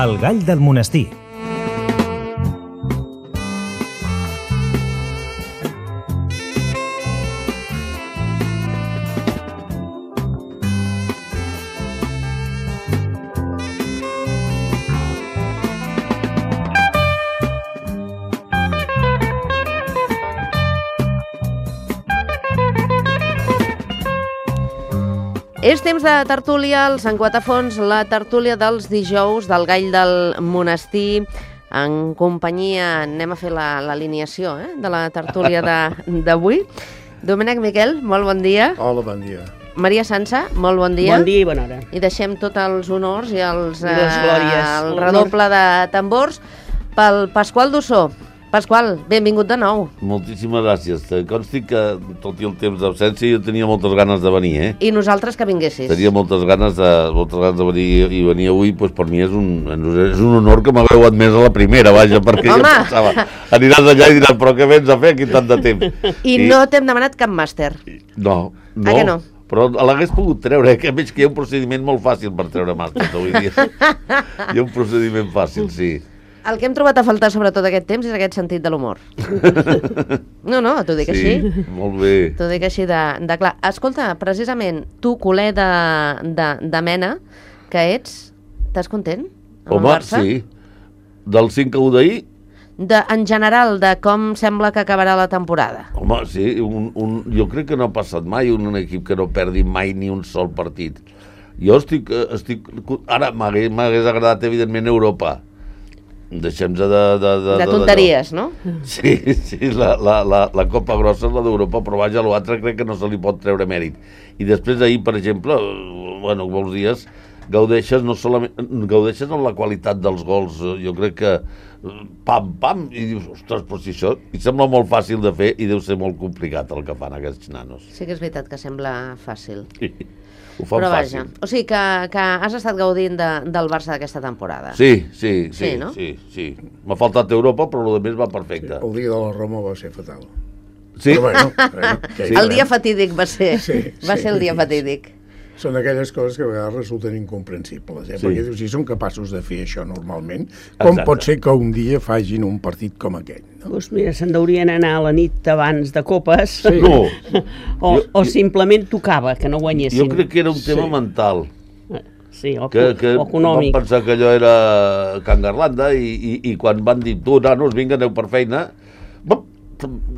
El gall del monestir. És temps de tertúlia, els en Quatre-Fonts, la tertúlia dels dijous del gall del monestir, en companyia, anem a fer l'alineació de la tertúlia d'avui. Domènec Miquel, molt bon dia. Hola, bon dia. Maria Sansa, molt bon dia. Bon dia i bona hora. I deixem tots els honors i les glòries. El redoble de tambors pel Pasqual Dussó. Pasqual, benvingut de nou. Moltíssimes gràcies. Consti que, tot i el temps d'absència, jo tenia moltes ganes de venir, I nosaltres que vinguessis. Tenia moltes ganes de venir, i venir avui, doncs per mi és un honor que m'hagueu admès a la primera, vaja, perquè jo pensava, aniràs allà i diràs, però què vens a fer aquí tant de temps? I no t'hem demanat cap màster. No. Que no? Però l'hagués pogut treure, que veig que hi ha un procediment molt fàcil per treure màsters avui dia. Hi ha un procediment fàcil, sí. El que hem trobat a faltar sobretot aquest temps és aquest sentit de l'humor. No, t'ho dic així. Sí, molt bé. T'ho dic així de clar. Escolta, precisament, tu, culer de mena, que ets, estàs content amb el Barça? Sí. Del 5-1 d'ahir? En general, de com sembla que acabarà la temporada. Home, sí, jo crec que no ha passat mai un equip que no perdi mai ni un sol partit. Jo estic ara m'hagués agradat, evidentment, Europa. Deixem-se de tonteries, no? Sí, la Copa Grossa és la d'Europa, però vaja, l'altre crec que no se li pot treure mèrit. I després d'ahir, per exemple, molts dies, gaudeixes en la qualitat dels gols. Jo crec que pam, i dius, ostres, però si això i sembla molt fàcil de fer i deu ser molt complicat el que fan aquests nanos. Sí que és veritat que sembla fàcil. Ho fan però fàcil. Vaja, o sigui que has estat gaudint del Barça d'aquesta temporada. Sí, no? sí. M'ha faltat Europa, però el més va perfecte. El dia de la Roma va ser fatal. Sí? Però El dia fatídic va ser. Va ser el dia fatídic. Són aquelles coses que a vegades resulten incomprensibles, perquè dius, si són capaços de fer això normalment, com pot ser que un dia facin un partit com aquell? Doncs mira, se'n deurien anar a la nit abans de copes, No. o simplement tocava que no guanyessin. Jo crec que era un tema mental. Sí, o que econòmic. Van pensar que allò era Can Garlanda i quan van dir, tu, nanos, vinga, aneu per feina,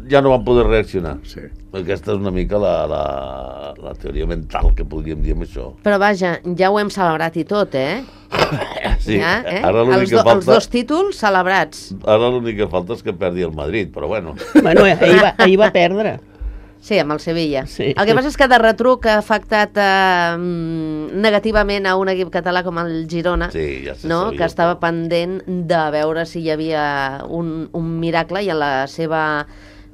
ja no van poder reaccionar. Sí. Aquesta és una mica la teoria mental que podríem dir amb això. Però vaja, ja ho hem celebrat i tot, Sí, ja, ara l'únic que falta... Els dos títols celebrats. Ara l'únic que falta és que perdi el Madrid, però bueno. Bueno, ahir va perdre. Sí, amb el Sevilla. Sí. El que passa és que de retruc ha afectat negativament a un equip català com el Girona, que estava pendent de veure si hi havia un miracle, i en la seva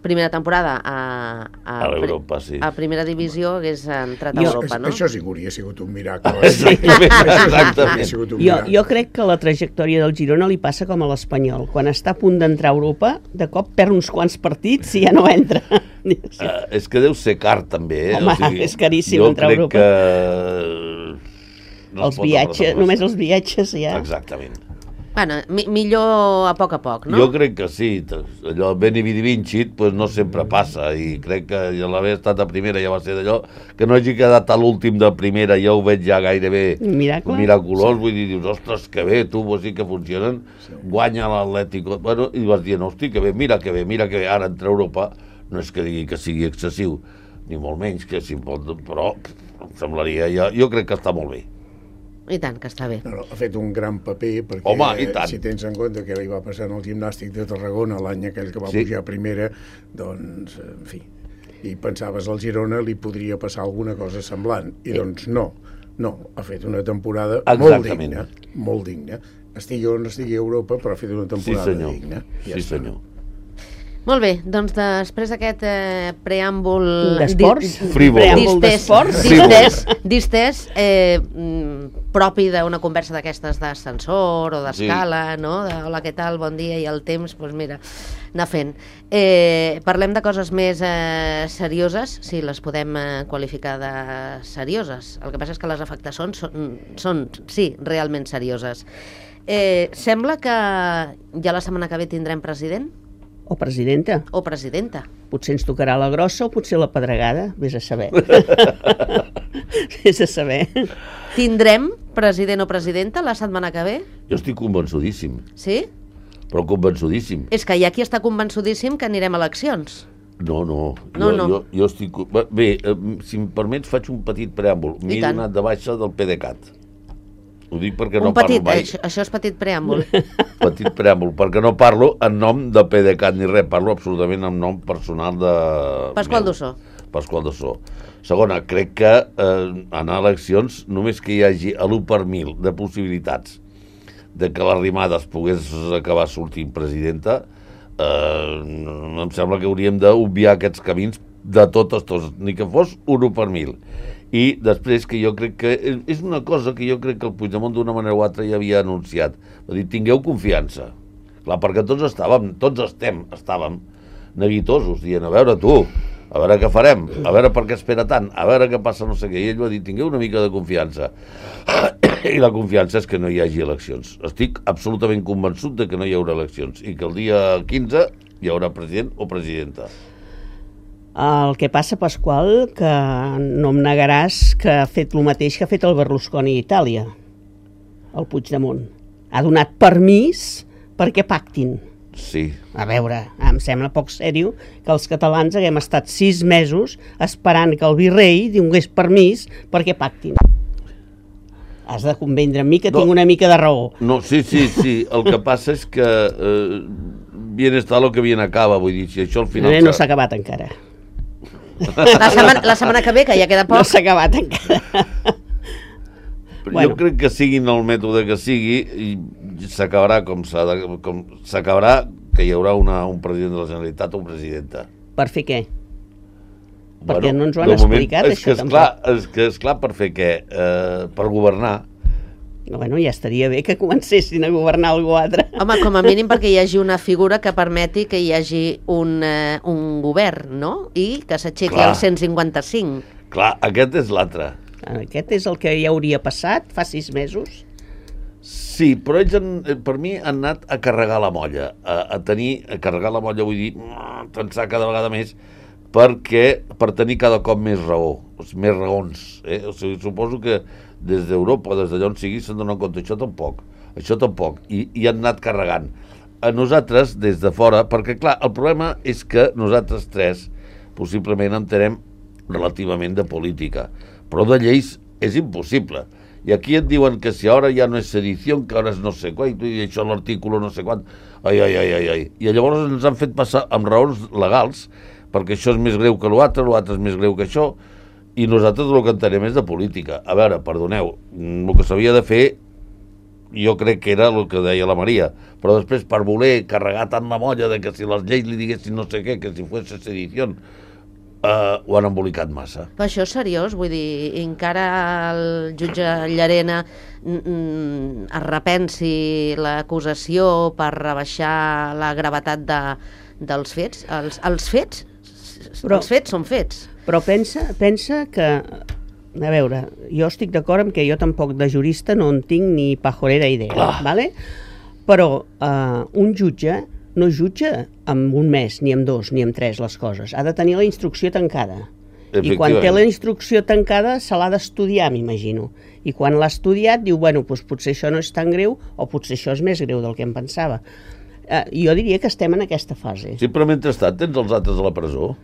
primera temporada a Europa, sí. A primera divisió hagués entrat a Europa, no? Això sí que hauria sigut un miracle. Exactament. Jo crec que la trajectòria del Girona li passa com a l'Espanyol. Quan està a punt d'entrar a Europa, de cop perd uns quants partits i ja no entra. És que deu ser car, també. Home, és caríssim entrar a Europa. Jo crec que... Només els viatges ja... Exactament. Bueno, millor a poc, no? Jo crec que sí. Allò Veni Vidi Vincit no sempre passa, i crec que l'haver estat a primera ja va ser d'allò que no hagi quedat a l'últim de primera, ja ho veig ja gairebé miraculós. Vull dir, dius, ostres, que bé, tu vols dir que funcionen, guanya l'Atlético, i vas dient, hosti, que bé, mira que bé, ara entre Europa no és que digui que sigui excessiu, ni molt menys, que si pot, però em semblaria, jo crec que està molt bé. I tant, que està bé. No, ha fet un gran paper, perquè si tens en compte que li va passar en el Gimnàstic de Tarragona l'any aquell que va pujar a primera, doncs, en fi, i pensaves al Girona li podria passar alguna cosa semblant, i doncs no, ha fet una temporada molt digna. Estigui on estigui a Europa, però ha fet una temporada digna. Sí, senyor. Molt bé, doncs després d'aquest preàmbul... D'esports? Distès, propi d'una conversa d'aquestes d'ascensor o d'escala, no? Hola, què tal, bon dia, i el temps, doncs mira, anar fent. Parlem de coses més serioses, si les podem qualificar de serioses. El que passa és que les afectacions són sí, realment serioses. Sembla que ja la setmana que ve tindrem president? O presidenta. O presidenta. Potser ens tocarà la grossa o potser la pedregada, vés a saber. Vés a saber. Tindrem president o presidenta la setmana que ve? Jo estic convençudíssim. Sí? Però convençudíssim. És que hi ha qui està convençudíssim que anirem a eleccions. No. Jo estic... Bé, si em permets, faig un petit preàmbul. M'he donat de baixa del PDeCAT. Ho dic perquè no parlo mai. Això és petit preàmbul. Petit preàmbul, perquè no parlo en nom de PDeCAT ni res, parlo absolutament en nom personal de... Pasqual Dossó. Pasqual Dossó. Segona, crec que anar a eleccions, només que hi hagi l'1 per 1.000 de possibilitats de que l'Arrimades pogués acabar sortint presidenta, em sembla que hauríem d'obviar aquests camins de totes, ni que fos un 1 per 1.000. I després, que jo crec que és una cosa que jo crec que el Puigdemont d'una manera o altra ja havia anunciat. Va dir, tingueu confiança. Clar, perquè tots estàvem neguitosos, dient, a veure tu, a veure què farem, a veure per què espera tant, a veure què passa no sé què. I ell va dir, tingueu una mica de confiança. I la confiança és que no hi hagi eleccions. Estic absolutament convençut de que no hi haurà eleccions i que el dia 15 hi haurà president o presidenta. El que passa, Pasqual, que no em negaràs que ha fet el mateix que ha fet el Berlusconi a Itàlia, el Puigdemont. Ha donat permís perquè pactin. Sí. A veure, em sembla poc sèrio que els catalans haguem estat 6 mesos esperant que el virrei donés permís perquè pactin. Has de convendre amb mi que tinc una mica de raó. No, sí. El que passa és que bien està lo que bien acaba, vull dir, si això al final... No s'ha acabat encara. La setmana que ve, que ja queda poc. No s'ha acabat encara. Jo crec que siguin el mètode que sigui, s'acabarà s'acabarà que hi haurà un president de la Generalitat o una presidenta. Per fer què? Perquè no ens ho han explicat, això tampoc. És clar, per fer què? Per governar. Bueno, ja estaria bé que comencessin a governar algú altre. Home, com a mínim perquè hi hagi una figura que permeti que hi hagi un govern, no? I que s'aixequi el 155. Clar, aquest és l'altre. Aquest és el que ja hauria passat fa 6 mesos. Sí, però ells, per mi, han anat a carregar la molla. A carregar la molla, vull dir, pensar cada vegada més, per tenir cada cop més raó, més raons. O sigui, suposo que des d'Europa, des d'allà on sigui, s'han donat compte. Això tampoc. I han anat carregant. A nosaltres, des de fora, perquè, clar, el problema és que nosaltres tres possiblement entenem relativament de política, però de lleis és impossible. I aquí et diuen que si ara ja no és sedició, que ara és no sé què, i això l'artículo no sé quant... Ai. I llavors ens han fet passar amb raons legals, perquè això és més greu que l'altre és més greu que això, i nosaltres el que entenem és de política. A veure, perdoneu, el que s'havia de fer jo crec que era el que deia la Maria, però després per voler carregar tant la molla de que si les lleis li diguessin no sé què, que si fos sedició, ho han embolicat massa. Però això és seriós, vull dir, encara el jutge Llarena es repensi l'acusació per rebaixar la gravetat dels fets. Els fets són fets. Però pensa que, a veure, jo estic d'acord amb que jo tampoc de jurista no en tinc ni pajolera idea, ¿vale? Però un jutge no jutja en un mes, ni en 2, ni en 3 les coses. Ha de tenir la instrucció tancada. I quan té la instrucció tancada se l'ha d'estudiar, m'imagino. I quan l'ha estudiat diu, bueno, doncs potser això no és tan greu o potser això és més greu del que em pensava. Jo diria que estem en aquesta fase. Sí, però mentrestant tens els altres a la presó.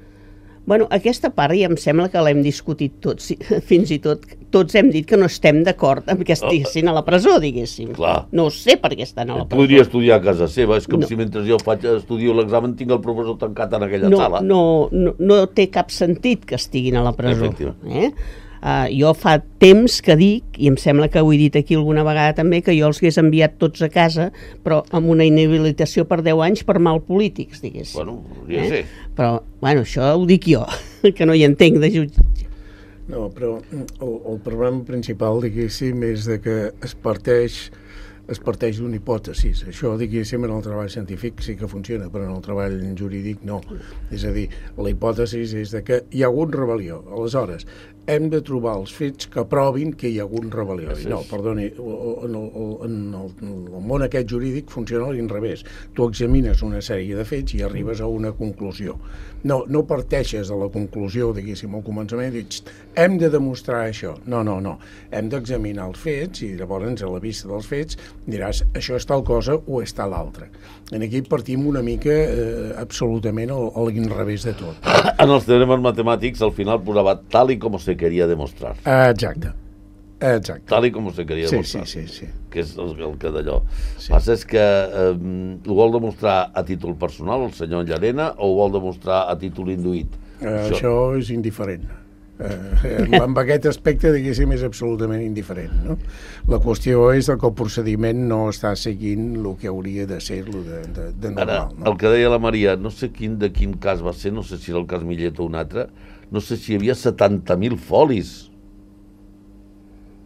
Bueno, aquesta part ja em sembla que l'hem discutit tots, fins i tot tots hem dit que no estem d'acord amb que estiguessin a la presó, diguéssim. Clar. No sé per què estan a la presó. Podria estudiar a casa seva, és com si mentre jo estudio l'examen tinc el professor tancat en aquella sala. No té cap sentit que estiguin a la presó. Jo fa temps que dic, i em sembla que ho he dit aquí alguna vegada també, que jo els hagués enviat tots a casa, però amb una inhabilitació per 10 anys per mal polítics, diguéssim. Bueno, podria ser. Però, bueno, això ho dic jo, que no hi entenc de jutge. No, però el problema principal, diguéssim, és de que es parteix es parteix d'una hipòtesi. Això, diguéssim, en el treball científic sí que funciona, però en el treball jurídic no. És a dir, la hipòtesi és de que hi ha hagut rebel·lió. Aleshores, hem de trobar els fets que provin que hi ha hagut rebel·lió. No, perdoni, en el món aquest jurídic funciona a l'inrevés. Tu examines una sèrie de fets i arribes a una conclusió. No parteixes de la conclusió, diguéssim, al començament, i dius, hem de demostrar això. No. Hem d'examinar els fets i llavors, a la vista dels fets, diràs, això és tal cosa o és tal altra. En aquí partim una mica absolutament a l'inrevés de tot. En els teoremes matemàtics, al final posava tal i com se quería demostrar. Exacte. Tal i com se quería demostrar. Sí. Que és el que d'allò. Sí. Passa és que ho vol demostrar a títol personal el senyor Llarena o ho vol demostrar a títol induït? Això és indiferent. Amb aquest aspecte, diguéssim, és absolutament indiferent, no? La qüestió és que el procediment no està seguint el que hauria de ser de normal. Ara, no? El que deia la Maria, no sé de quin cas va ser, no sé si era el cas Millet o un altre, no sé si hi havia 70.000 folis.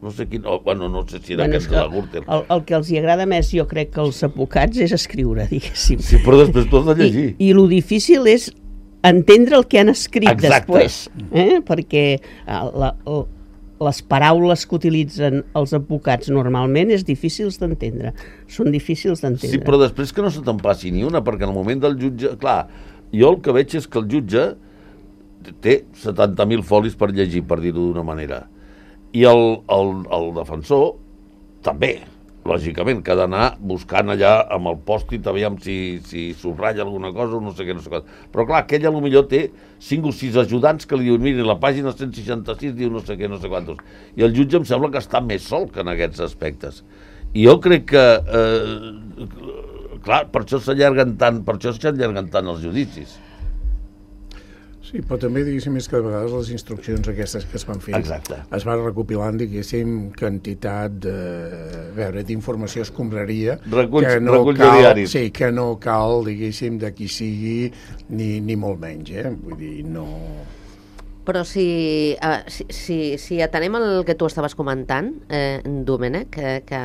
No sé quin... no sé si era aquest de la Gürtel. El que els hi agrada més, jo crec, que els advocats és escriure, diguéssim. Sí, però després tu has de llegir. I lo difícil és entendre el que han escrit després. Perquè les paraules que utilitzen els advocats normalment és difícils d'entendre. Són difícils d'entendre. Sí, però després que no se te'n passi ni una, perquè en el moment del jutge... Clar, jo el que veig és que el jutge té 70.000 folis per llegir, per dir-ho d'una manera. I el defensor també, lògicament, que ha d'anar buscant allà amb el pòstit, aviam si subratlla alguna cosa o no sé què, no sé què. Però clar, aquell potser té 5 o 6 ajudants que li diuen, miri, la pàgina 166 diu no sé què, no sé quantos. I el jutge em sembla que està més sol que en aquests aspectes. I jo crec que, clar, per això s'allarguen tant els judicis. Sí, però també, diguéssim, és que de vegades les instruccions aquestes que es van fer es van recopilant, diguéssim, quantitat d'informació escombraria que no cal, diguéssim, de qui sigui ni molt menys, vull dir, no... Però si atenem el que tu estaves comentant, Domènec, que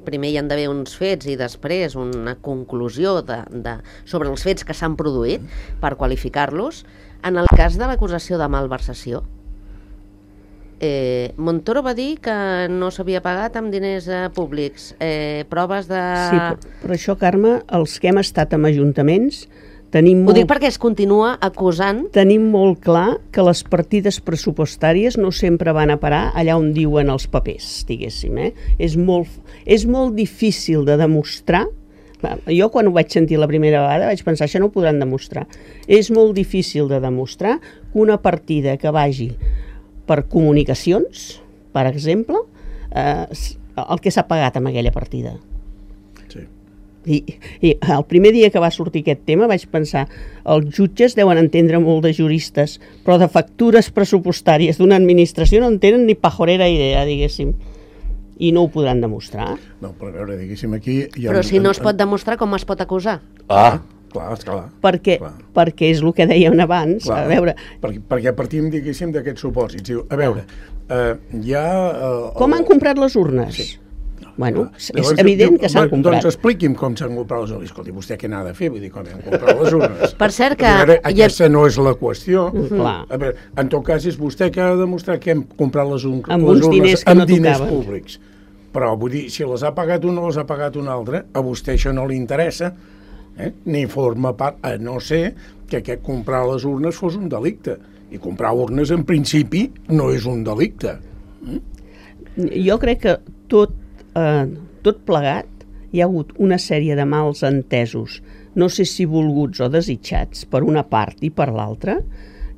primer hi han d'haver uns fets i després una conclusió sobre els fets que s'han produït per qualificar-los, en el cas de l'acusació de malversació, Montoro va dir que no s'havia pagat amb diners públics, proves de... Sí, però això, Carme, els que hem estat amb ajuntaments... Ho dic perquè es continua acusant... Tenim molt clar que les partides pressupostàries no sempre van a parar allà on diuen els papers, diguéssim. És molt difícil de demostrar. Jo, quan ho vaig sentir la primera vegada, vaig pensar, això no ho podran demostrar. És molt difícil de demostrar que una partida que vagi per comunicacions, per exemple, el que s'ha pagat amb aquella partida. I el primer dia que va sortir aquest tema vaig pensar, els jutges deuen entendre molt de juristes, però de factures pressupostàries d'una administració no en tenen ni pajorera idea, diguéssim, i no ho podran demostrar. No, però a veure, diguéssim, aquí... Però si no es pot demostrar, com es pot acusar? Clar. Perquè és el que dèiem abans, a veure... Perquè partim, diguéssim, d'aquests supòsits. A veure, hi ha... Com han comprat les urnes? Sí. Bueno, és evident que s'han comprat. Doncs expliqui'm com s'han comprat les urnes. Escolti, vostè què n'ha de fer? Vull dir, com han comprat les urnes? Per cert que... Aquesta no és la qüestió. A veure, en tot cas, és vostè que ha de demostrar que hem comprat les urnes amb diners públics. Però, vull dir, si les ha pagat un o les ha pagat un altre, a vostè això no li interessa, ni forma part, a no ser que aquest comprar les urnes fos un delicte. I comprar urnes, en principi, no és un delicte. Jo crec que tot plegat hi ha hagut una sèrie de mals entesos, no sé si volguts o desitjats per una part i per l'altra,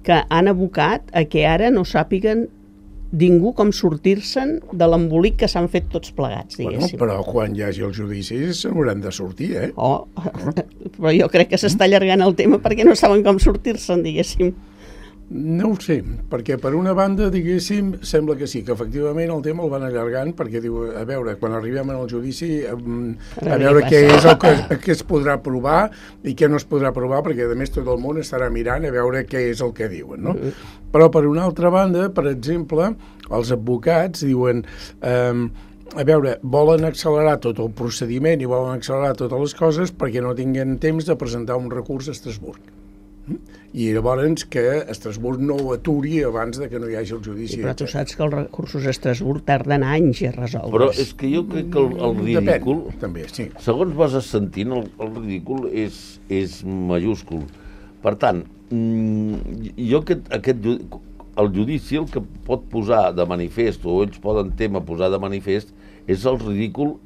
que han abocat a que ara no sàpiguen ningú com sortir-se'n de l'embolic que s'han fet tots plegats, diguéssim. Però quan hi hagi els judicis se n'hauran de sortir, però jo crec que s'està allargant el tema perquè no saben com sortir-se'n, diguéssim. No ho sé, perquè per una banda, diguéssim, sembla que sí, que efectivament el tema el van allargant perquè diu, a veure, quan arribem al judici, a veure què és el que es podrà provar i què no es podrà provar, perquè a més tot el món estarà mirant a veure què és el que diuen, no? Però per una altra banda, per exemple, els advocats diuen a veure, volen accelerar tot el procediment i volen accelerar totes les coses perquè no tinguin temps de presentar un recurs a Estrasburg. I llavors que Estrasburg no ho aturi abans de que no hi hagi el judici. Però tu saps que els recursos a Estrasburg tarden anys a resoldre's. Però és que jo crec que el ridícul... Depèn, també, sí. Segons vas sentint, el ridícul és majúscul. Per tant, jo el judici el que pot posar de manifest, o ells poden témer posar de manifest, és el ridícul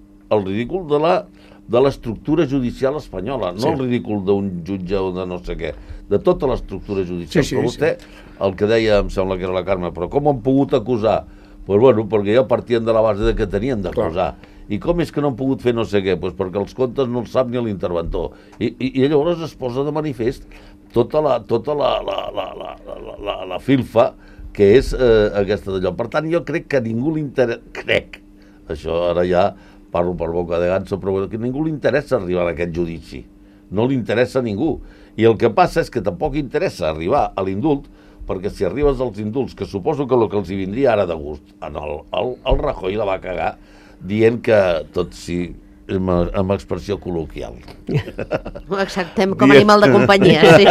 de l'estructura judicial espanyola, no el ridícul d'un jutge o de no sé què, de tota l'estructura judicial. Però vostè, el que deia, em sembla que era la Carme, però com han pogut acusar? Doncs bueno, perquè ja partien de la base de que tenien d'acusar. I com és que no han pogut fer no sé què? Doncs perquè els comptes no els sap ni l'interventor. I llavors es posa de manifest tota la filfa que és aquesta d'allò. Per tant, jo crec que a ningú li interessa... Això ara ja parlo per boca de ganso, però que a ningú li interessa arribar a aquest judici. No li interessa a ningú. I el que passa és que tampoc interessa arribar a l'indult, perquè si arribes als indults, que suposo que el que els hi vindria ara de gust, el Rajoy la va cagar dient que tot sí, amb expressió col·loquial. Ho acceptem com a animal de companyia, sí.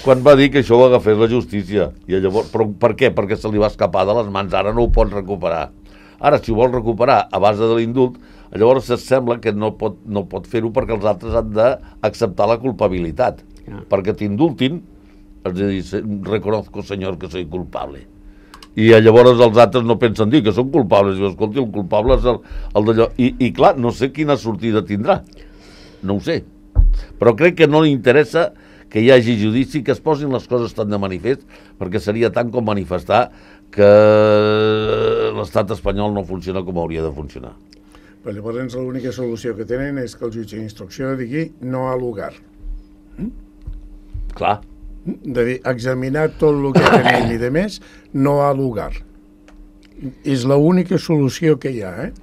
Quan va dir que això ho agafés la justícia. I llavors, però per què? Perquè se li va escapar de les mans, ara no ho pot recuperar. Ara, si ho vol recuperar a base de l'indult, llavors sembla que no pot fer-ho perquè els altres han d'acceptar la culpabilitat. Perquè t'indultin, has de dir, reconozco, senyor, que soy culpable. I llavors els altres no pensen dir que són culpables. Diu, escolti, el culpable és el d'allò. I clar, no sé quina sortida tindrà. No ho sé. Però crec que no li interessa que hi hagi judici, que es posin les coses tan de manifest, perquè seria tant com manifestar que l'estat espanyol no funciona com hauria de funcionar. Però llavors l'única solució que tenen és que el jutge d'instrucció digui no ha lugar. Clar. De dir, examinar tot el que tenim i de més, no ha lugar. És l'única solució que hi ha,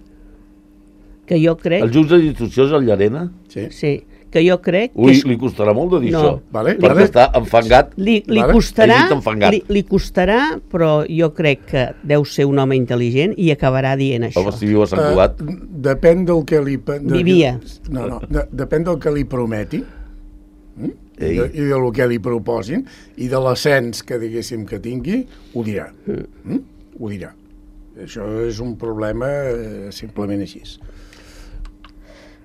Que jo crec... El jutge d'instrucció és el Llarena? Sí. Que jo crec... Ui, li costarà molt de dir això, perquè està enfangat. Li costarà, però jo crec que deu ser un home intel·ligent i acabarà dient això. Home, si viu a Sant Cugat. Depèn del que li... Vivia. Depèn del que li prometi i del que li proposin i de l'ascens que diguéssim que tingui, ho dirà. Ho dirà. Això és un problema simplement així.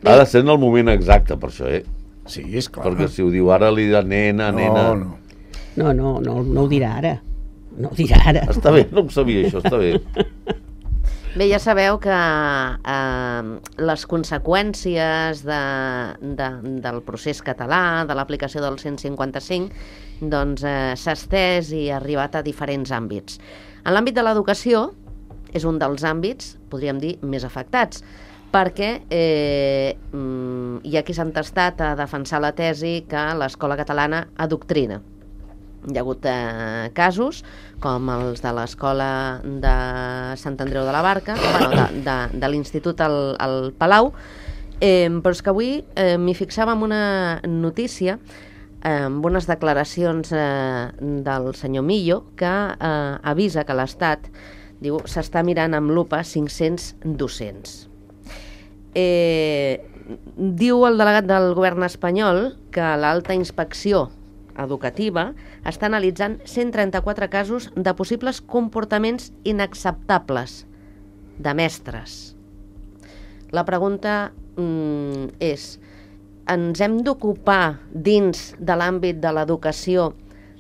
Ha de ser en el moment exacte, per això, Sí, és clar. Perquè si ho diu ara, li dirà nena. No ho dirà ara. No ho dirà ara. Està bé, no ho sabia, això, està bé. Bé, ja sabeu que les conseqüències del procés català, de l'aplicació del 155, doncs s'ha estès i ha arribat a diferents àmbits. En l'àmbit de l'educació és un dels àmbits, podríem dir, més afectats, perquè hi ha qui s'ha entestat a defensar la tesi que l'escola catalana adoctrina. Hi ha hagut casos, com els de l'escola de Sant Andreu de la Barca, de l'Institut al Palau, però és que avui m'hi fixava en una notícia, amb unes declaracions del senyor Millo, que avisa que l'Estat, diu, s'està mirant amb lupa 500 docents. Diu el delegat del govern espanyol que l'alta inspecció educativa està analitzant 134 casos de possibles comportaments inacceptables de mestres. La pregunta és, ens hem d'ocupar dins de l'àmbit de l'educació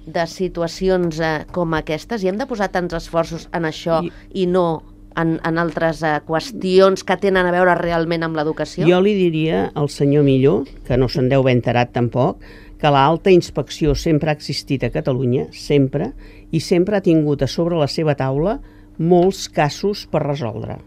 de situacions com aquestes i hem de posar tants esforços en això i no en altres qüestions que tenen a veure realment amb l'educació? Jo li diria al senyor Millo, que no se'n deu haver enterat tampoc, que l'alta inspecció sempre ha existit a Catalunya, sempre, i sempre ha tingut a sobre la seva taula molts casos per resoldre.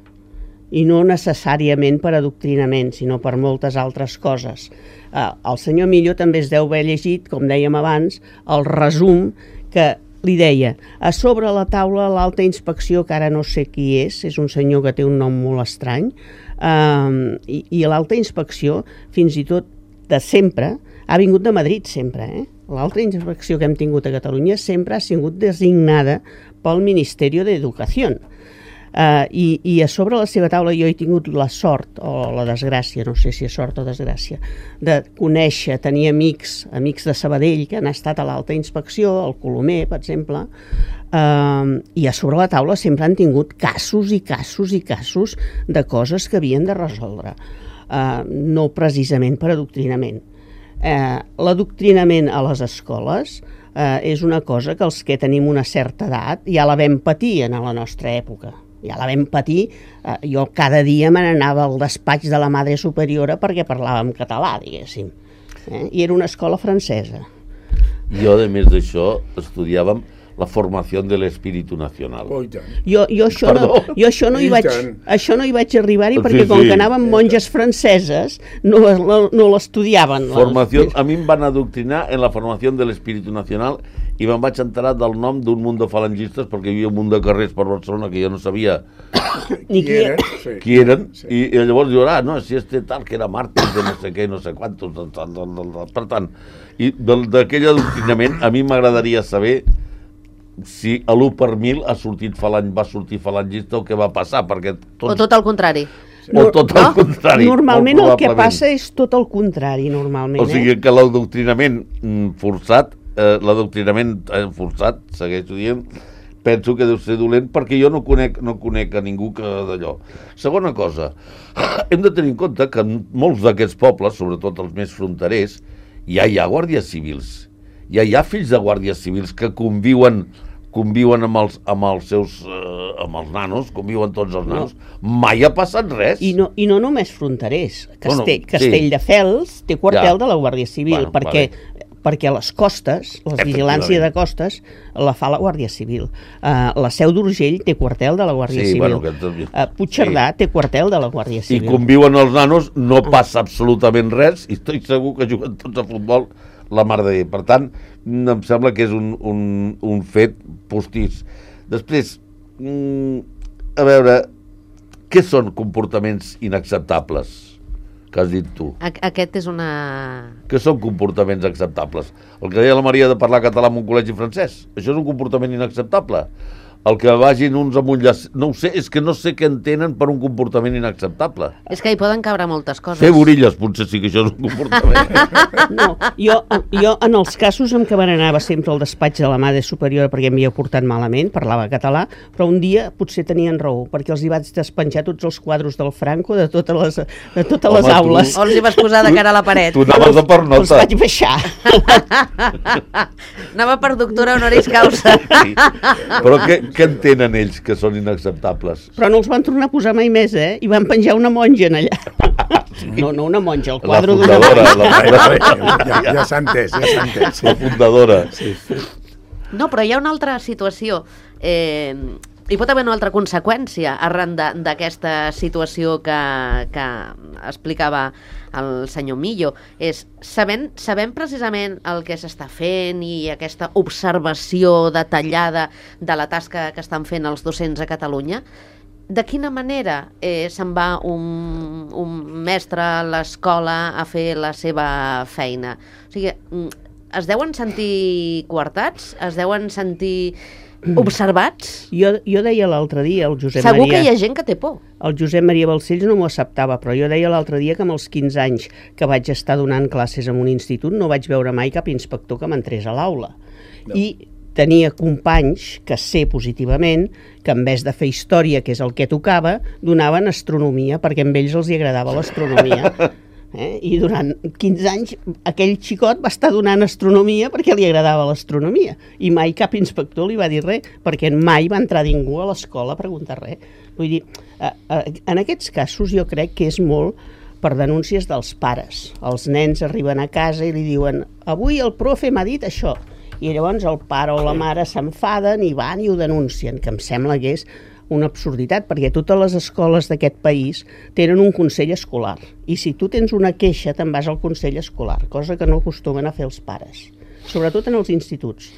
I no necessàriament per adoctrinament, sinó per moltes altres coses. El senyor Millo també es deu haver llegit, com dèiem abans, el resum que li deia, a sobre la taula l'alta inspecció, que ara no sé qui és un senyor que té un nom molt estrany, i l'alta inspecció, fins i tot de sempre, ha vingut de Madrid sempre, L'alta inspecció que hem tingut a Catalunya sempre ha sigut designada pel Ministeri d'Educació. I a sobre la seva taula jo he tingut la sort, o la desgràcia, no sé si és sort o desgràcia, de conèixer, tenir amics de Sabadell que han estat a l'alta inspecció, al Colomer, per exemple, i a sobre la taula sempre han tingut casos i casos i casos de coses que havien de resoldre, no precisament per adoctrinament. L'adoctrinament a les escoles és una cosa que els que tenim una certa edat ja la vam patir en la nostra època. Ja la vam patir, jo cada dia me n'anava al despatx de la Madre Superiora perquè parlàvem català, diguéssim. I era una escola francesa. Jo, a més d'això, estudiàvem la formació de l'espíritu nacional. Oh, jo això no hi vaig arribar-hi perquè com que anaven monges franceses no l'estudiaven. A mi em van adoctrinar en la formació de l'espíritu nacional i me'n vaig enterar del nom d'un munt de falangistes perquè hi havia un munt de carrers per Barcelona que jo no sabia ni qui eren, i llavors jo, no, si este tal que era màrtir de no sé què, no sé quantos, per tant, i d'aquell adoctrinament a mi m'agradaria saber si a l'1 per 1000 va sortir falangista o què va passar, perquè o tot el contrari. O tot el contrari. Normalment el que passa és tot el contrari, normalment. O sigui que l'adoctrinament forçat, segueixo dient, penso que deu ser dolent perquè jo no conec a ningú que d'allò. Segona cosa, hem de tenir en compte que en molts d'aquests pobles, sobretot els més fronterers, ja hi ha guàrdies civils. Ja hi ha fills de guàrdies civils que conviuen amb els nanos, conviuen tots els nanos. Mai ha passat res. I no només fronterers. Castelldefels té quartel de la Guàrdia Civil, perquè a les costes, la vigilància de costes, la fa la Guàrdia Civil. La Seu d'Urgell té quartel de la Guàrdia Civil. Puigcerdà té quartel de la Guàrdia Civil. I conviuen els nanos, no passa absolutament res, i estic segur que juguen tots a futbol la mar de... Per tant, em sembla que és un fet postís. Després, a veure, què són comportaments inacceptables que has dit tu? Aquest és una... Què són comportaments acceptables? El que deia la Maria de parlar català en un col·legi francès, això és un comportament inacceptable. El que vagin uns amb un llaç... No ho sé, és que no sé què entenen per un comportament inacceptable. És que hi poden cabre moltes coses. Fer borilles, potser sí que això és un comportament. No, jo en els casos en què van anava sempre al despatx de la Madre Superiora perquè m'havia portat malament, parlava català, però un dia potser tenien raó, perquè els hi vaig despenjar tots els quadros del Franco de totes les aules. O els hi vas posar de cara a la paret. Tu anaves de per nota. Els vaig baixar. Anava per doctora honoris causa. Sí. Però què entenen ells que són inacceptables? Però no els van tornar a posar mai més, I van penjar una monja en allà. No una monja, el quadre d'una monja. Ja s'ha entès. La fundadora. Sí. No, però hi ha una altra situació. Hi pot haver una altra conseqüència arran d'aquesta situació que explicava el senyor Millo. És, sabent precisament el que s'està fent i aquesta observació detallada de la tasca que estan fent els docents a Catalunya, de quina manera se'n va un mestre a l'escola a fer la seva feina? O sigui, es deuen sentir coartats? Es deuen sentir observats? Jo deia l'altre dia, el Josep Segur Maria... que hi ha gent que té por. El Josep Maria Balcells no m'ho acceptava, però jo deia l'altre dia que amb els 15 anys que vaig estar donant classes en un institut no vaig veure mai cap inspector que m'entrés a l'aula. No. I tenia companys que sé positivament que en vez de fer història, que és el que tocava, donaven astronomia, perquè a ells els agradava l'astronomia. I durant 15 anys aquell xicot va estar donant astronomia perquè li agradava l'astronomia i mai cap inspector li va dir res perquè mai va entrar ningú a l'escola a preguntar res. Vull dir, en aquests casos jo crec que és molt per denúncies dels pares. Els nens arriben a casa i li diuen avui el profe m'ha dit això, i llavors el pare o la mare s'enfaden i van i ho denuncien, que em sembla que és una absurditat, perquè totes les escoles d'aquest país tenen un consell escolar, i si tu tens una queixa te'n vas al consell escolar, cosa que no acostumen a fer els pares, sobretot en els instituts.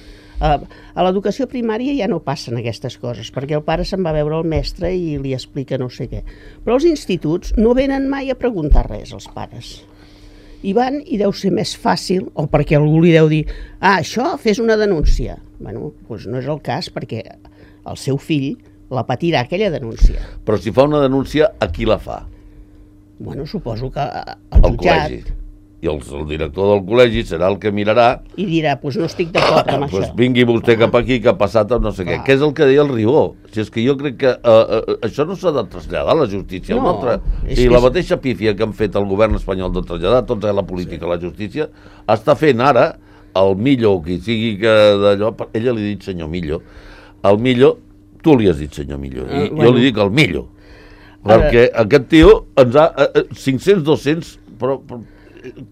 A l'educació primària ja no passen aquestes coses, perquè el pare se'n va veure el mestre i li explica no sé què, però els instituts no venen mai a preguntar res als pares. I van i deu ser més fàcil, o perquè algú li deu dir això, fes una denúncia. Bueno, doncs no és el cas, perquè el seu fill la patirà aquella denúncia. Però si fa una denúncia, a qui la fa? Bueno, suposo que al jutjat. Col·legi. I el director del col·legi serà el que mirarà i dirà, doncs no estic d'acord amb això. Vingui vostè cap aquí, que ha passat no sé què. Què és el que deia el Ribó? Si és que jo crec que això no s'ha de traslladar a la justícia. No, la mateixa pífia que han fet el govern espanyol de traslladar tota la política a la justícia, està fent ara el Millo, qui sigui que d'allò, ella li ha dit senyor Millo, el Millo, tu li has dit senyor Millo, i jo li dic el Millo, perquè aquest tio ens ha 500-200, però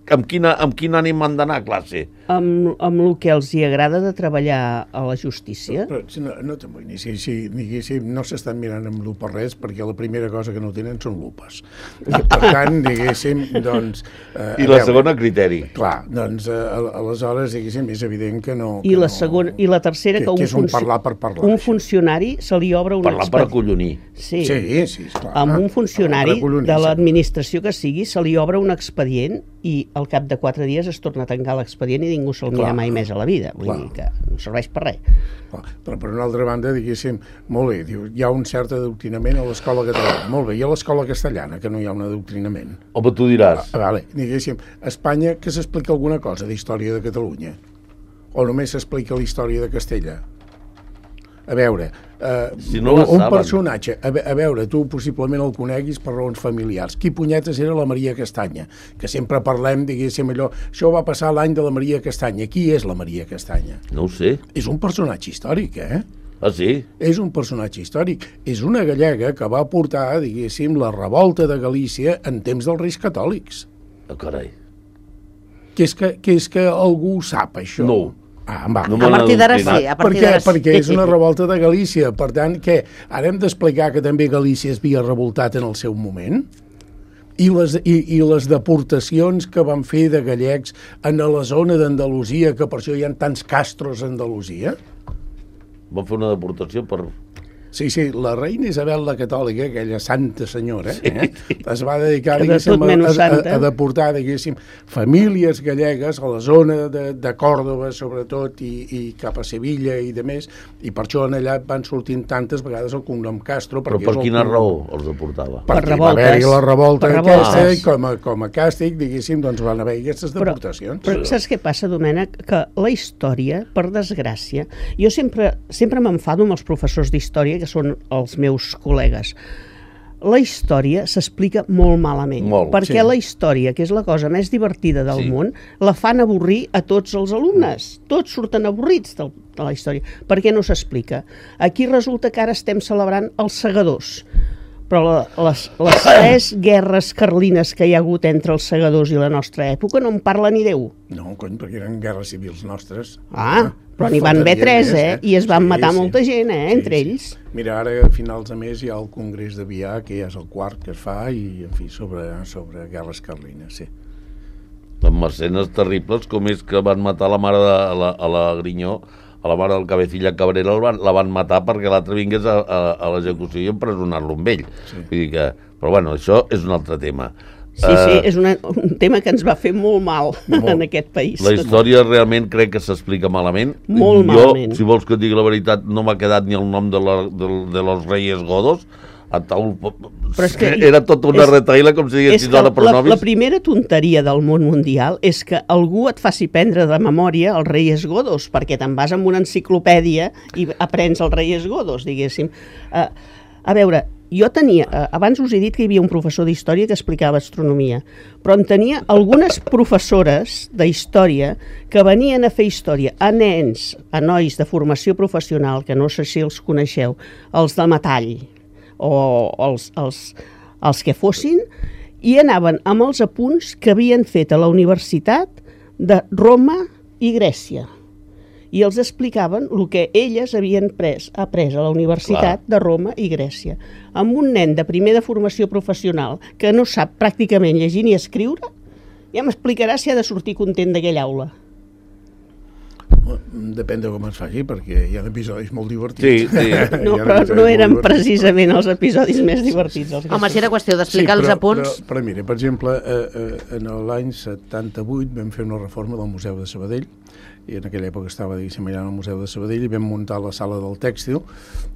amb quin ànim han d'anar a classe? Amb el que els hi agrada de treballar a la justícia. Però no t'amoïnis, diguéssim, no s'estan mirant amb lupa res, perquè la primera cosa que no tenen són lupes. Per tant, diguéssim, doncs... I la segona, criteri. Clar, doncs, aleshores, diguéssim, és evident que no... I la tercera, que és un parlar per parlar. Un funcionari se li obre un expedient. Parlar per acollonir. Sí, esclar. Amb un funcionari de l'administració que sigui, se li obre un expedient i al cap de 4 dies es torna a tancar l'expedient i ningú se'l mira mai més a la vida. Vull dir que no serveix per res. Però per una altra banda, diguéssim, molt bé, hi ha un cert adoctrinament a l'escola catalana. Molt bé, i a l'escola castellana, que no hi ha un adoctrinament. Home, tu diràs. Vale, diguéssim, a Espanya que s'explica alguna cosa d'història de Catalunya? O només s'explica la història de Castella? A veure, si no un personatge, a veure, tu possiblement el coneguis per raons familiars. Qui punyetes era la Maria Castanya? Que sempre parlem, diguéssim, allò, això va passar l'any de la Maria Castanya. Qui és la Maria Castanya? No ho sé. És un personatge històric, Ah, sí? És un personatge històric. És una gallega que va portar, diguéssim, la revolta de Galícia en temps dels Reis Catòlics. Ah, carai. Que és que algú sap això? No. A partir d'ara sí. Perquè és una revolta de Galícia. Per tant, què? Ara hem d'explicar que també Galícia es havia revoltat en el seu moment? I les deportacions que van fer de gallecs en la zona d'Andalusia, que per això hi ha tants castros a Andalusia? Van fer una deportació per... Sí, la reina Isabel la Catòlica, aquella santa senyora, es va dedicar, diguéssim, a deportar, diguéssim, famílies gallegues a la zona de Còrdova, sobretot, i cap a Sevilla i de més, i per això en allà van sortint tantes vegades el cognom Castro. Però per quina raó els deportava? Perquè va haver-hi la revolta aquesta, i com a càstig, diguéssim, doncs van haver-hi aquestes deportacions. Però saps què passa, Domènec? Que la història, per desgràcia, jo sempre m'enfado amb els professors d'història, que són els meus col·legues. La història s'explica molt malament, perquè la història, que és la cosa més divertida del món, la fan avorrir a tots els alumnes. Tots surten avorrits de la història. Per què no s'explica? Aquí resulta que ara estem celebrant els segadors, però les 3 guerres carlines que hi ha hagut entre els segadors i la nostra època no en parla ni Déu. No, cony, perquè eren guerres civils nostres. Però n'hi van haver 3, I es van matar molta gent, entre ells. Mira, ara a finals de mes hi ha el Congrés de Vià, que ja és el 4 que es fa, i, en fi, sobre guerres carlines, Amb escenes terribles, com és que van matar la mare a la Grinyó, a la mare del Cabecilla Cabrera, la van matar perquè l'altre vingués a l'execució i empresonar-lo amb ell. Vull dir que... Però bueno, això és un altre tema. Sí, és un tema que ens va fer molt mal en aquest país. La història realment crec que s'explica malament. Malament. Si vols que et digui la veritat, no m'ha quedat ni el nom de los Reyes Godos. Era tota una retaïla, com si diguessis ara per novis. La primera tonteria del món mundial és que algú et faci prendre de memòria els Reyes Godos, perquè te'n vas amb una enciclopèdia i aprens els Reyes Godos, diguéssim. A veure, jo tenia, abans us he dit que hi havia un professor d'història que explicava astronomia, però en tenia algunes professores d'història que venien a fer història a nens, a nois de formació professional, que no sé si els coneixeu, els de metall, o els que fossin, i anaven amb els apunts que havien fet a la Universitat de Roma i Grècia. I els explicaven el que elles havien après a la Universitat de Roma i Grècia. Amb un nen de primer de formació professional que no sap pràcticament llegir ni escriure, ja m'explicarà si ha de sortir content d'aquella aula. Depèn de com es faci, perquè hi ha episodis molt divertits. Sí. No, però no eren precisament els episodis més divertits. Home, si era qüestió d'explicar els apunts... Però mira, per exemple, en l'any 78 vam fer una reforma del Museu de Sabadell, i en aquella època estava, diguéssim, allà al Museu de Sabadell, i vam muntar la sala del tèxtil,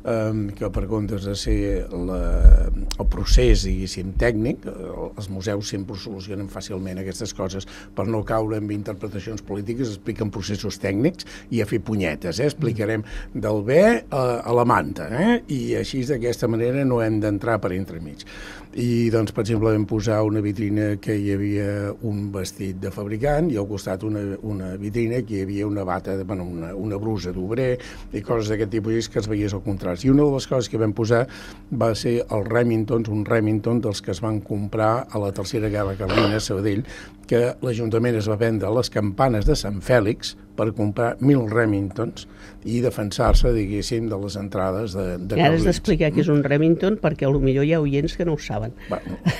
que per comptes de ser el procés, diguéssim, tècnic, els museus sempre solucionen fàcilment aquestes coses per no caure en interpretacions polítiques, expliquen processos tècnics i a fer punyetes, explicarem del bé a la manta, i així d'aquesta manera no hem d'entrar per entremig. I doncs, per exemple, vam posar una vitrina que hi havia un vestit de fabricant i al costat una vitrina que hi havia una bata, una brusa d'obrer i coses d'aquest tipus que es veiés al contrast. I una de les coses que vam posar va ser els Remingtons, un Remington dels que es van comprar a la Tercera Guerra Carlina a Sabadell, que l'Ajuntament es va vendre les campanes de Sant Fèlix per comprar 1.000 Remingtons i defensar-se, diguéssim, de les entrades de Carlins. Ara has d'explicar què és un Remington perquè potser hi ha oients que no ho saben.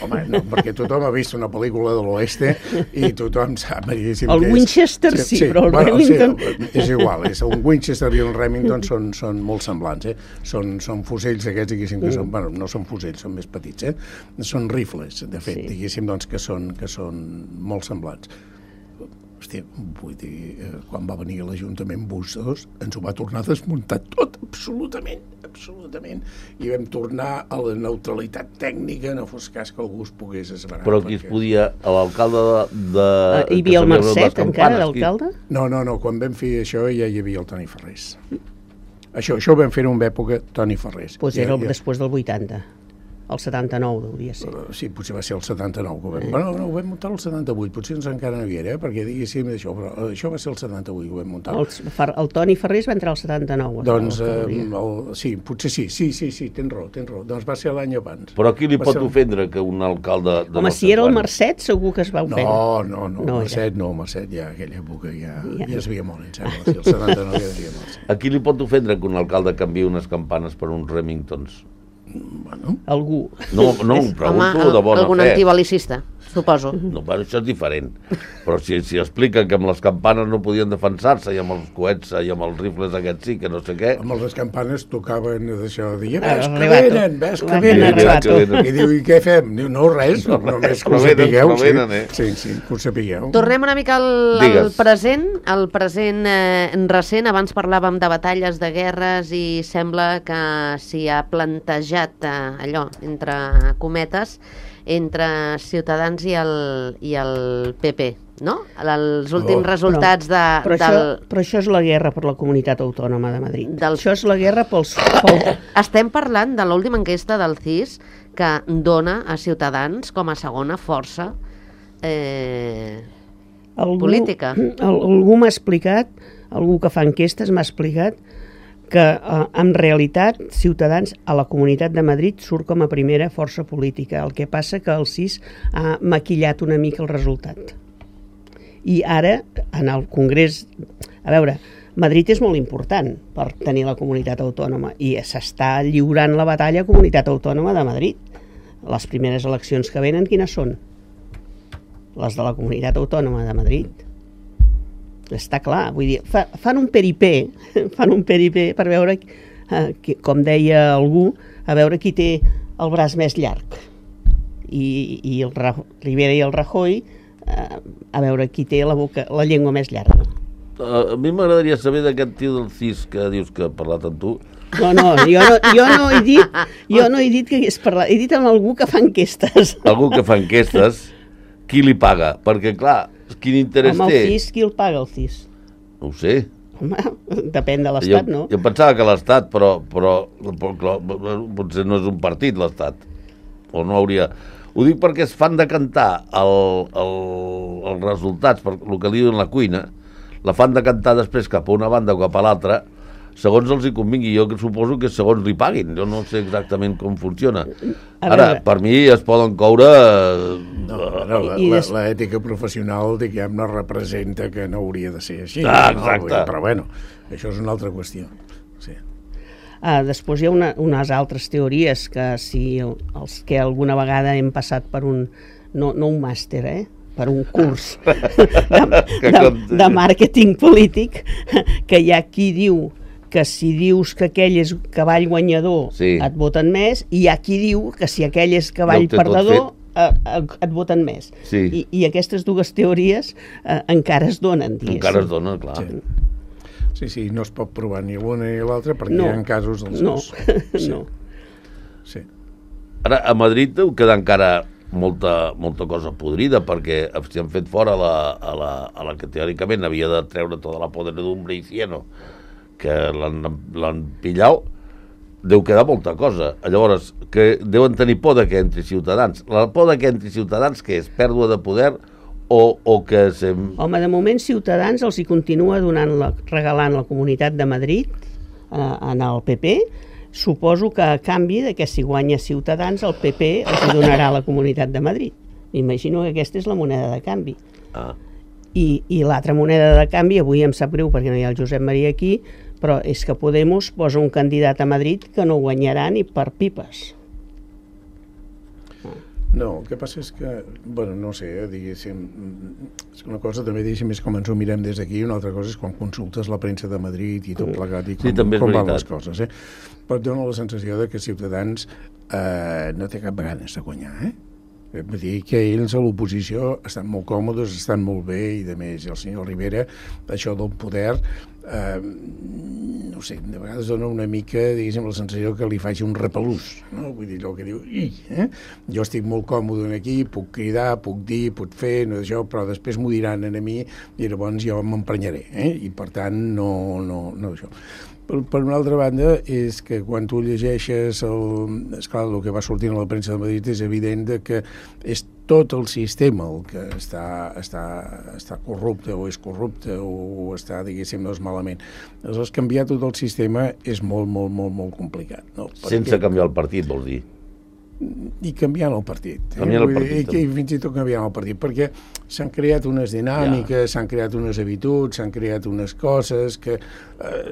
Home, no, perquè tothom ha vist una pel·lícula de l'oeste i tothom sap, diguéssim, el Winchester sí, però el Remington... Sí, és igual, un Winchester i un Remington són molt semblants, són fusells aquests, diguéssim, que són, no són fusells, són més petits, són rifles, de fet, diguéssim, doncs, que són molt semblants. Hòstia, vull dir, quan va venir l'Ajuntament Bustos, ens ho va tornar a desmuntar tot, absolutament, i vam tornar a la neutralitat tècnica, no fos cas que algú es pogués esverar. Però qui es podia, l'alcalde de... Hi havia el Mercet encara, l'alcalde? No, quan vam fer això ja hi havia el Toni Ferrés. Això ho vam fer en una època Toni Ferrés. Doncs era després del 80. El 79 hauria ser. Sí, potser va ser el 79 que ho vam... Bueno, no, ho vam muntar el 78, potser encara no hi era, perquè diguéssim això, però això va ser el 78 que ho vam muntar. El Toni Ferrés va entrar al 79. Doncs, sí, potser sí, tens raó. Doncs va ser l'any abans. Però qui li pot ofendre que un alcalde... Home, si era el Mercet, segur que es va ofendre. No, Mercet ja, aquella època ja es veia molt, em sembla. Sí, el 79 ja es veia molt. A qui li pot ofendre que un alcalde canviï unes campanes per uns Remingtons? Bueno. Algú. No, ho pregunto de bona fe. Algun antibalicista, suposo. No, però això és diferent. Però si expliquen que amb les campanes no podien defensar-se i amb els coets i amb els rifles aquests sí, que no sé què... Amb les campanes tocaven d'això de dir, ves que venen. I diu, i què fem? Diu, no, res, només que ho sapigueu. Sí, que ho sapigueu. Tornem una mica al present, recent. Abans parlàvem de batalles, de guerres, i sembla que s'hi ha plantejat allò, entre cometes, entre Ciutadans i el PP, no? Els últims resultats Però això és la guerra per la Comunitat Autònoma de Madrid. Això és la guerra pels... Estem parlant de l'última enquesta del CIS que dona a Ciutadans com a segona força política. Algú m'ha explicat, algú que fa enquestes m'ha explicat que en realitat Ciutadans a la Comunitat de Madrid surt com a primera força política. El que passa que el CIS ha maquillat una mica el resultat. I ara, en el Congrés... A veure, Madrid és molt important per tenir la Comunitat Autònoma i s'està lliurant la batalla a Comunitat Autònoma de Madrid. Les primeres eleccions que venen, quines són? Les de la Comunitat Autònoma de Madrid. Està clar, vull dir, fan un peripé per veure, com deia algú, a veure qui té el braç més llarg. I el Rivera i el Rajoy, a veure qui té la llengua més llarga. A mi m'agradaria saber d'aquest tio del CIS que dius que ha parlat amb tu. No, jo no he dit que hagués parlat, he dit amb algú que fa enquestes. Algú que fa enquestes, qui li paga? Perquè, clar, quin interès té? Amb el CIS, qui el paga, el CIS? No ho sé. Home, depèn de l'Estat, no? Jo pensava que l'Estat, però potser no és un partit, l'Estat. O no hauria... Ho dic perquè es fan decantar els resultats, per el que diuen la cuina, la fan decantar després cap a una banda o cap a l'altra, segons els hi convingui. Jo suposo que segons li paguin. Jo no sé exactament com funciona. Ara, per mi es poden coure... L'ètica professional, diguem, no representa que no hauria de ser així. Exacte. Però bueno, això és una altra qüestió. Sí. Després hi ha unes altres teories que si els que alguna vegada hem passat per un... No un màster, per un curs de màrqueting polític, que hi ha qui diu que si dius que aquell és cavall guanyador et voten més, i hi ha qui diu que si aquell és cavall perdedor et voten més. I aquestes dues teories encara es donen, diguéssim. Encara es donen, clar. Sí, no es pot provar ni l'una ni l'altra perquè hi ha casos dels dos. No. Sí. Ara, a Madrid deu quedar encara molta cosa podrida, perquè si han fet fora a la que teòricament havia de treure tota la podredumbre i cieno, que l'han pillat, deu quedar molta cosa. Llavors, que deuen tenir por de que entri Ciutadans. La por de que entri Ciutadans, què és? Pèrdua de poder o que... Home, de moment Ciutadans els hi continua regalant la Comunitat de Madrid en el PP. Suposo que a canvi de que si guanya Ciutadans el PP els donarà la Comunitat de Madrid. M'imagino que aquesta és la moneda de canvi. I l'altra moneda de canvi, avui em sap greu perquè no hi ha el Josep Maria aquí, però és que Podemos posa un candidat a Madrid que no guanyarà ni per pipes. No, el que passa és que, bueno, no sé, diguéssim, és una cosa també, diguéssim, és com ens ho mirem des d'aquí, una altra cosa és quan consultes la premsa de Madrid i tot plegat i com van les coses, Però et dona la sensació de que Ciutadans no té cap ganes de guanyar, Vull dir que ells a l'oposició estan molt còmodes, estan molt bé, i de més, el senyor Rivera, això del poder, no sé, de vegades dona una mica, diguéssim, la sensació que li faci un repelús, no? Vull dir, allò que diu, jo estic molt còmode aquí, puc cridar, puc dir, puc fer, no això, però després m'ho diran a mi i llavors jo m'emprenyaré, i per tant no això. Per una altra banda, és que quan tu llegeixes esclar, el que va sortint a la premsa de Madrid és evident que és tot el sistema el que està corrupte o és corrupte o està, diguéssim, no és malament. Aleshores, canviar tot el sistema és molt, molt, molt, molt complicat. No? Sense canviar el partit, vols dir? I canviant el partit. I fins i tot canviant el partit, perquè s'han creat unes dinàmiques, s'han creat unes habituds, s'han creat unes coses que,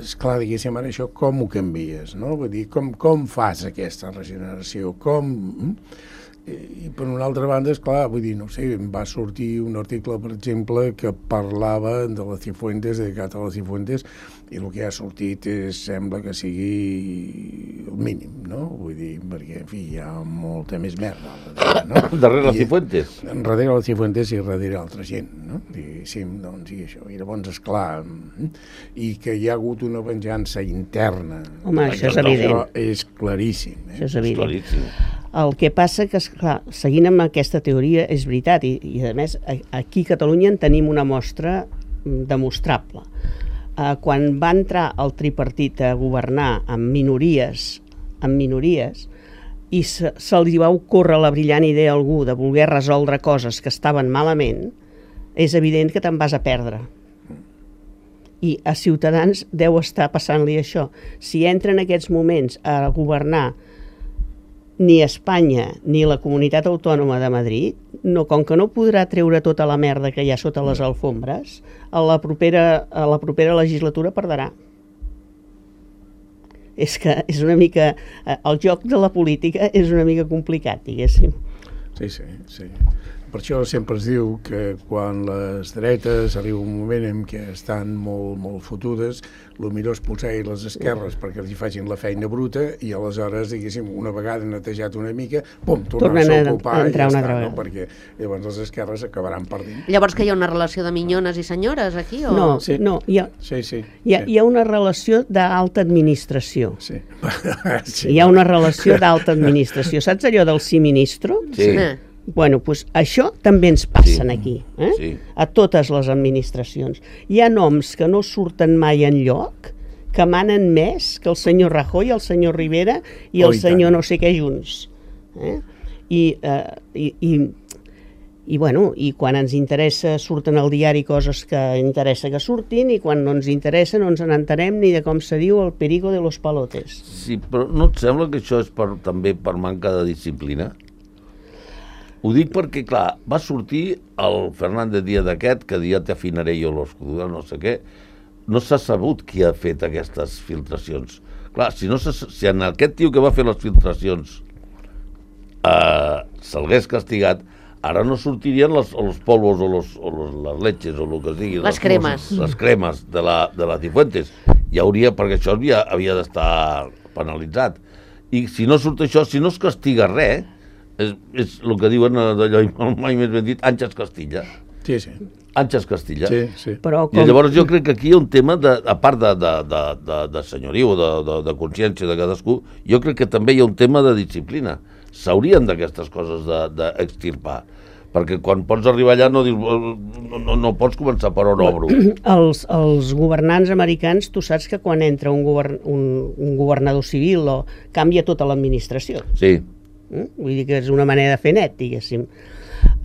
esclar, diguéssim, ara això com ho canvies, no? Vull dir, com fas aquesta regeneració? I per una altra banda, esclar, vull dir, no sé, va sortir un article, per exemple, que parlava de la Cifuentes, dedicat a la Cifuentes, i el que ha sortit sembla que sigui el mínim, no? Vull dir, perquè, en fi, hi ha molta més merda. No? Darrere la Cifuentes? Darrere la Cifuentes i darrere altra gent, no? Diguéssim, doncs, i això. I llavors, esclar, i que hi ha hagut una venjança interna. Home, això és evident. Això és claríssim. Això és evident. El que passa que, esclar, seguint amb aquesta teoria, és veritat, i a més, aquí a Catalunya en tenim una mostra demostrable. Quan va entrar el tripartit a governar amb minories, i se'ls va ocórrer la brillant idea a algú de voler resoldre coses que estaven malament, és evident que te'n vas a perdre. I a Ciutadans deu estar passant-li això. Si entra en aquests moments a governar ni Espanya ni la Comunitat Autònoma de Madrid, com que no podrà treure tota la merda que hi ha sota les alfombres, a la propera legislatura perdrà. És que és una mica... El joc de la política és una mica complicat, diguéssim. Sí. Per això sempre es diu que quan les dretes arriba un moment en què estan molt, molt fotudes, el millor és posar les esquerres perquè els hi facin la feina bruta i aleshores, diguéssim, una vegada netejat una mica, tornen a ocupar i ja està, no? Perquè llavors les esquerres acabaran perdent. Llavors que hi ha una relació de minyones i senyores aquí? O... No, sí. No, hi ha una relació d'alta administració. Sí. Hi ha una relació d'alta administració. Saps allò del sí ministro? Sí. Bueno, doncs això també ens passa aquí, a totes les administracions. Hi ha noms que no surten mai enlloc, que manen més que el senyor Rajoy, el senyor Rivera i el senyor no sé què junts. I quan ens interessa surten al diari coses que interessa que surtin i quan no ens interessa no ens n'entenem ni de com se diu el perico de los palotes. Sí, però no et sembla que això és també per manca de disciplina? Ho dic perquè, clar, va sortir el Fernández Díaz aquest, que dia te afinaré jo l'escudo, no sé què. No s'ha sabut qui ha fet aquestes filtracions. Clar, si en aquest tio que va fer les filtracions se'l hagués castigat, ara no sortirien els polvos o les leches o el que es digui. Les cremes. Les cremes de la Cifuentes. Hi hauria, perquè això havia d'estar penalitzat. I si no surt això, si no es castiga res, és el que diuen d'allò, mai més ben dit, Àngels Castilla. Sí. Àngels Castilla. Sí. I llavors jo crec que aquí hi ha un tema, a part de senyoriu, de consciència de cadascú, jo crec que també hi ha un tema de disciplina. S'haurien d'aquestes coses d'extirpar. Perquè quan pots arribar allà no pots començar per on obro. Els governants americans, tu saps que quan entra un governador civil canvia tota l'administració. Sí. Vull dir que és una manera de fer net, diguéssim.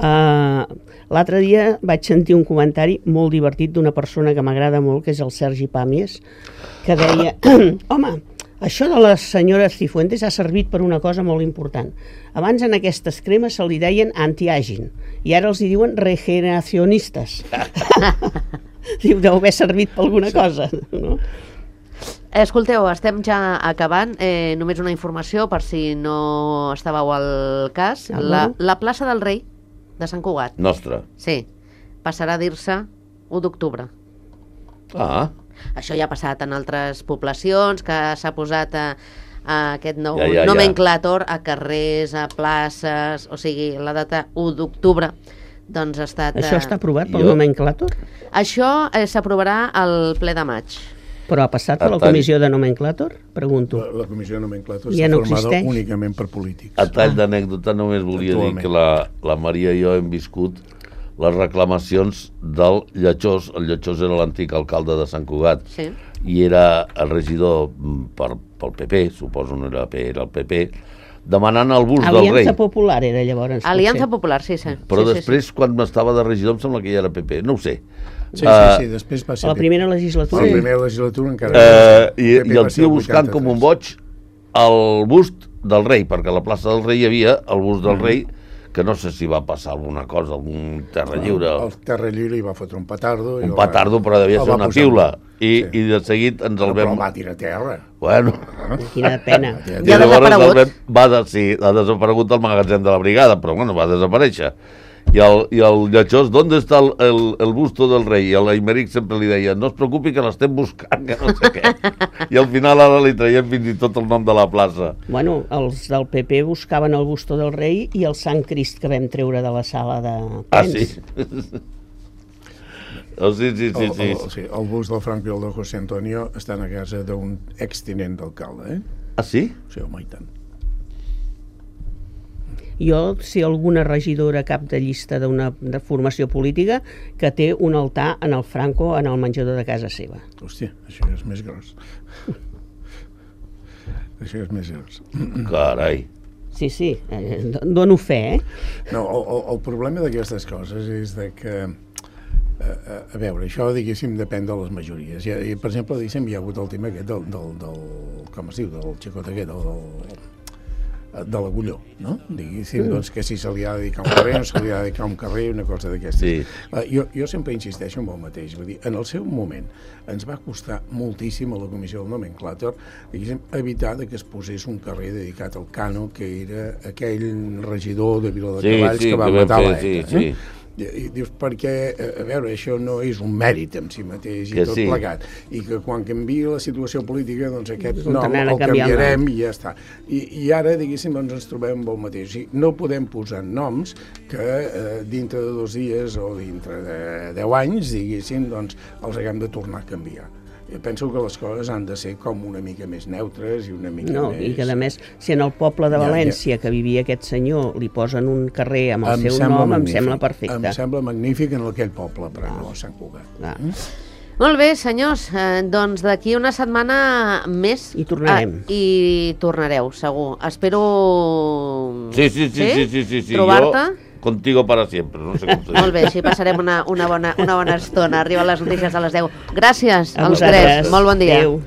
L'altre dia vaig sentir un comentari molt divertit d'una persona que m'agrada molt, que és el Sergi Pàmies, que deia, home, això de les senyores Cifuentes ha servit per una cosa molt important. Abans en aquestes cremes se li deien anti-aging i ara els hi diuen regeneracionistes. Diu, deu haver servit per alguna cosa, no? Escolteu, estem ja acabant. Només una informació per si no estàveu al cas. La plaça del Rei de Sant Cugat. Nostra. Sí. Passarà a dir-se 1 d'octubre. Ah. Això ja ha passat en altres poblacions, que s'ha posat aquest nou nomenclàtor a carrers, a places, o sigui, la data 1 d'octubre. Doncs ha estat... Això està aprovat pel nomenclàtor? Això s'aprovarà al ple de maig. Però ha passat per la comissió de nomenclàtor? Pregunto. La comissió de nomenclàtor està formada únicament per polítics. A tall d'anècdota només volia dir que la Maria i jo hem viscut les reclamacions del Lletjós. El Lletjós era l'antic alcalde de Sant Cugat i era el regidor pel PP, suposo no era el PP, demanant el bust del rei. Aliança Popular era llavors. Aliança Popular, sí. Però després, quan estava de regidor, em sembla que ja era PP, no ho sé. Sí, després va ser... A la primera legislatura. A la primera legislatura encara... I el tio buscant com un boig el bust del rei, perquè a la plaça del rei hi havia el bust del rei, que no sé si va passar alguna cosa, algun terra lliure. El terra lliure hi va fotre un petardo. Un petardo, però devia ser una piula. I de seguit ens el vam... Però va tirar a terra. Bueno. Quina pena. Ja ha desaparegut. Ha desaparegut el magatzem de la brigada, però bueno, va desaparèixer. I el Lletjós, ¿dónde está el busto del rei? I l'Aimeric sempre li deia, no es preocupi que l'estem buscant, que no sé què. I al final ara li traiem fins i tot el nom de la plaça. Bueno, els del PP buscaven el busto del rei i el Sant Crist que vam treure de la sala de plens. Ah, sí? Sí. El bust del Franco i el de José Antonio estan a casa d'un extinent d'alcalde, Ah, sí? Sí, home, i tant. Jo, si alguna regidora cap de llista de formació política que té un altar en el Franco en el menjador de casa seva. Hòstia, això és més gros. Això és més gros. Carai. Sí, dono fe, No, el problema d'aquestes coses és de que a veure, això, diguéssim, depèn de les majories. Per exemple, diguéssim, hi ha hagut el tema aquest del com es diu, del xicot aquest, de l'Agulló, no? Diguéssim, doncs, que si se li ha de dedicar un carrer, no se li ha de dedicar un carrer, una cosa d'aquestes. Sí. Jo sempre insisteixo en el mateix, vull dir, en el seu moment ens va costar moltíssim a la comissió del nomenclàtor, diguéssim, evitar que es posés un carrer dedicat al Cano, que era aquell regidor de Viladecavalls que va matar l'ETA. Sí. I dius, perquè, a veure, això no és un mèrit en si mateix i tot plegat, i que quan canvia la situació política, doncs aquest nom el canviarem i ja està. I ara, diguéssim, ens trobem amb el mateix. O sigui, no podem posar noms que dintre de 2 dies o dintre de 10 anys, diguéssim, doncs els haguem de tornar a canviar. Jo penso que les coses han de ser com una mica més neutres i una mica més... I que, a més, si en el poble de València que vivia aquest senyor li posen un carrer amb el seu nom, em sembla perfecte. Em sembla magnífic en aquell poble, però no a Sant Cugat. Molt bé, senyors, doncs d'aquí una setmana més... I tornarem. I tornareu, segur. Espero... Sí. Trobar-te. Contigo para siempre, no sé com se diu. Molt bé, sí, passarem una bona estona. Arriben les notícies a les 10. Gràcies als 3, molt bon dia. Adéu.